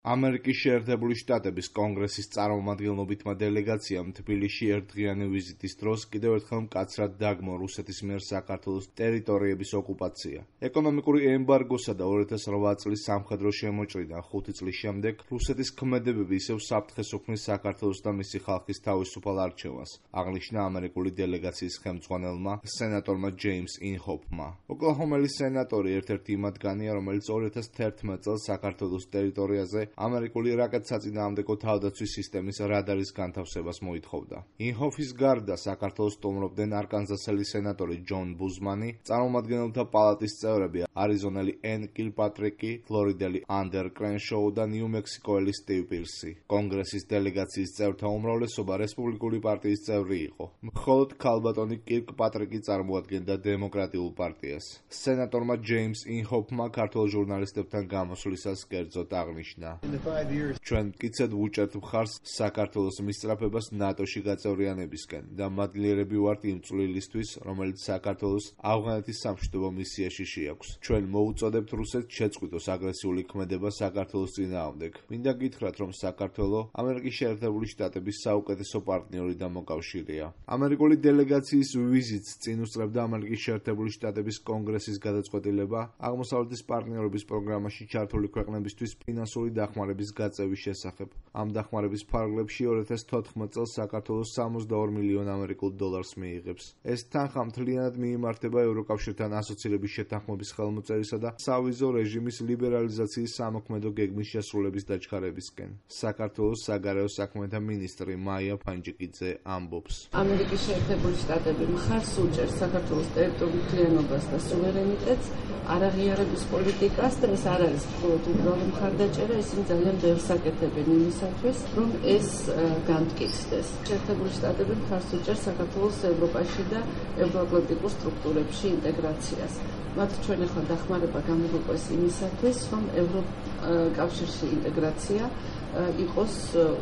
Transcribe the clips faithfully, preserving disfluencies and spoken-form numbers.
ამერიკის შეერთებული შტატების კონგრესის წარმომადგენლობითმა დელეგაციამ თბილისში ერთდღიანი ვიზიტის დროს კიდევ ერთხელ მკაცრად დაგმო რუსეთის მიერ საქართველოს ტერიტორიების ოკუპაცია. ეკონომიკური ემბარგოსა და ორი ათას რვა წლის სამხედრო შემოჭრიდან ხუთი წლის შემდეგ რუსეთის ქმედებები ისევ საფრთხეს უქმნის საქართველოს და მისი ხალხის თავისუფალ არჩევანს, აღნიშნა ამერიკული დელეგაციის ხელმძღვანელმა სენატორმა ჯეიმს ინჰოფმა. ოკლაჰომელი სენატორი ერთ-ერთი იმ მათგანია, რომელიც ორი ათას თერთმეტ წელს საქართველოს ტერიტორიაზე ამერიკული რაკეტსაწინააღმდეგო თავდაცვის სისტემის რადარის განთავსებას მოითხოვდა. ინჰოფის გარდა საქართველოს სტუმრობდნენ არკანზასელი სენატორი ჯონ ბუზმანი, წარმომადგენელთა პალატის წევრები არიზონელი ენ კილპატრიკი, ფლორიდელი ანდერ კრენშოუ და ნიუ-მექსიკოელი სტივ პირსი. კონგრესის დელეგაციის წევრთა უმრავლესობა რესპუბლიკური პარტიის წევრი იყო. მხოლოდ ქალბატონი კირკპატრიკი წარმოადგენდა დემოკრატიულ პარტიას. სენატორმა ჯეიმს ინჰოფმა ქართველ ჟურნალისტებთან გამოსვლისას კერძოდ აღნიშნა: ჩვენ მტკიცედ ვუჭერთ მხარს საქართველოს მისწრაფებას ნატოში გაწევრიანებისკენ და მადლიერები ვართ იმ წვლილისთვის, რომელიც საქართველოს ავღანეთის სამშვიდობო მისიაში შეაქვს. ჩვენ მოუწოდებთ რუსეთს შეწყვიტოს აგრესიული ქმედება საქართველოს წინააღმდეგ. მინდა გითხრათ, რომ საქართველო ამერიკის შეერთებული შტატების საუკეთესო პარტნიორი და მოკავშირეა. ამერიკული დელეგაციის ვიზიტს წინ უსწრებდა ამერიკის შეერთებული შტატების კონგრესის გადაწყვეტილება აღმოსავლეთის პარტნიორობის პროგრამაში ჩართული ქვეყნებისთვის ფინანსური დახმარების გაწევის შესახებ. ამ დახმარების ფარგლებში ორი ათას თოთხმეტ წელს საქართველოს სამოცდაორ მილიონ ამერიკულ დოლარს მიიღებს. ეს თანხა მთლიანად მიიმართება ევროკავშირთან ასოცირების შეთანხმების ხელმოწერისა და სავიზო რეჟიმის ლიბერალიზაციის სამოქმედო გეგმის შესრულების დაჩქარებისკენ. საქართველოს საგარეო საქმეთა მინისტრი მაია ფანჯიკიძე ამბობს: ამერიკის შეერთებული შტატები მხარს უჭერს საქართველოს ტერიტორიულ მთლიანობას და სუვერენიტეტს, არაღიარების პოლიტიკას და ეს არ არის მხოლოდ უბრალო მხარდაჭერა, ისინი ძალიან ბევრს აკეთებენ იმისათვის, რომ ეს განმტკიცდეს. შეერთებული შტატები მხარს უჭერს საქართველოს ევროპაში და ევროატლანტიკურ სტრუქტურებში ინტეგრაციას. მათ ჩვენ ახლა დახმარება გამოგვიყვეს იმისათვის, რომ ევროკავშირში ინტეგრაცია იყოს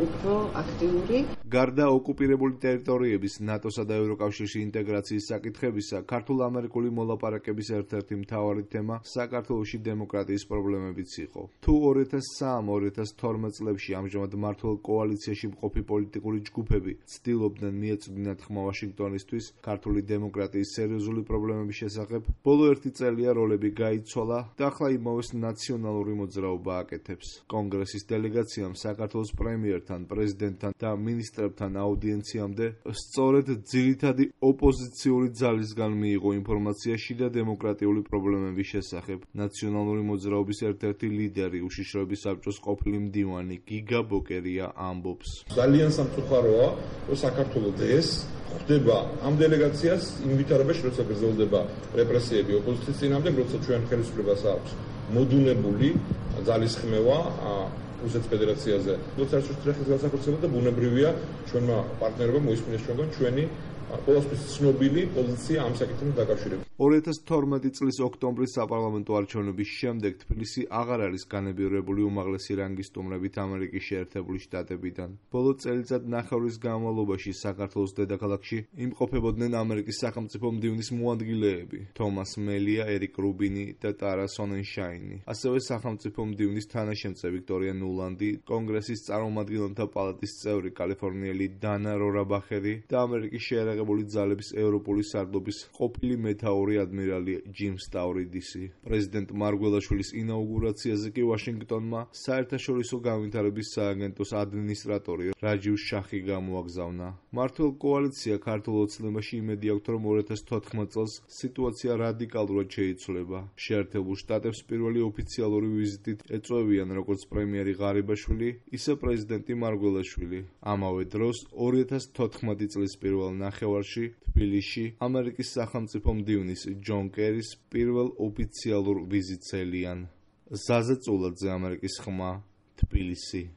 უფრო აქტიური. გარდა ოკუპირებული ტერიტორიების, ნატოსა და ევროკავშირში ინტეგრაციის საკითხებისა, ქართულ-ამერიკული მოლაპარაკების ერთ-ერთი მთავარი თემა საქართველოში დემოკრატიის პრობლემებიც იყო. თუ ორი ათას სამ ორი ათას თორმეტ წლებში ამჟამად მმართველ კოალიციაში მყოფი პოლიტიკური ჯგუფები ცდილობდნენ მიეწვდინათ ხმა ვაშინგტონისთვის ქართული დემოკრატიის სერიოზული პრობლემების შესახებ, ბოლო ერთი წელია როლები გაიცვალა და ახლა იმავეს ნაციონალური მოძრაობა აკეთებს. კონგრესის დელეგაციამ საქართველოს პრემიერთან, პრეზიდენტთან და მინისტრებთან აუდიენციამდე სწორედ ძირითადი ოპოზიციური ძალისგან მიიღო ინფორმაცია შიდა დემოკრატიული პრობლემების შესახებ. ნაციონალური მოძრაობის ერთ-ერთი ლიდერი, უშიშროების საბჭოს ყოფილი მდივანი გიგა ბოკერია ამბობს: ძალიან სამწუხაროა, რომ საქართველოს ეს ხდება ამ დელეგაციას ინვიტარებაში, როცა გრძელდება რეპრესიები ოპოზიციის წინააღმდეგ, როცა ჩვენ ხელისუფლებას აქვს მოდუნებული ძალისხმევა რუსეთის ფედერაციაზე. როცა არჩევნების განსაკუთრება და ბუნებრივია ჩვენმა პარტნიორებმა მოისმინეს ჩვენგან ჩვენი ყოველთვის ცნობილი პოზიცია ამ საკითხთან დაკავშირებით. ორი ათას თორმეტი წლის ოქტომბრის საპარლამენტო არჩევნების შემდეგ თბილისი აღარ არის განებივრებული უმაღლესი რანგის სტუმრებით ამერიკის შეერთებული შტატებიდან. ბოლო წელიწად-ნახევრის განმავლობაში საქართველოს დედაქალაქში იმყოფებოდნენ ამერიკის სახელმწიფო მდივნის მოადგილეები თომას მელია, ერიკ რუბინი და ტარა სონენშაინი. ასევე სახელმწიფო მდივნის თანაშემწე ვიქტორია ნულანდი, კონგრესის წარმომადგენელთა პალატის წევრი კალიფორნიელი დანა რორაბახერი და ამერიკის შეერაღებული ძალების ევროპული სარდლობის ყოფილი მეთაური ადმირალი ჯიმ სტავრიდისი. პრეზიდენტ მარგველაშვილის ინაუგურაციაზე კი ვაშინგტონმა საერთაშორისო განვითარების სააგენტოს ადმინისტრატორი რაჯივ შახი გამოაგზავნა. მმართველ კოალიცია ქართულ ოცნებაში იმედი აქვთ, რომ ორი ათას თოთხმეტ წელს სიტუაცია რადიკალურად შეიცვლება. შეერთებულ შტატებს პირველი ოფიციალური ვიზიტით ეწვევიან როგორც პრემიერი ღარიბაშვილი, ისე პრეზიდენტი მარგველაშვილი. ამავე დროს ორი ათას თოთხმეტი წლის პირველ ნახევარში თბილისში ამერიკის სახელმწიფო მდივნის ჯონ კერის პირველ ოფიციალურ ვიზიტს ელიან. ზაზე წულაძე, ამერიკის ხმა, თბილისი.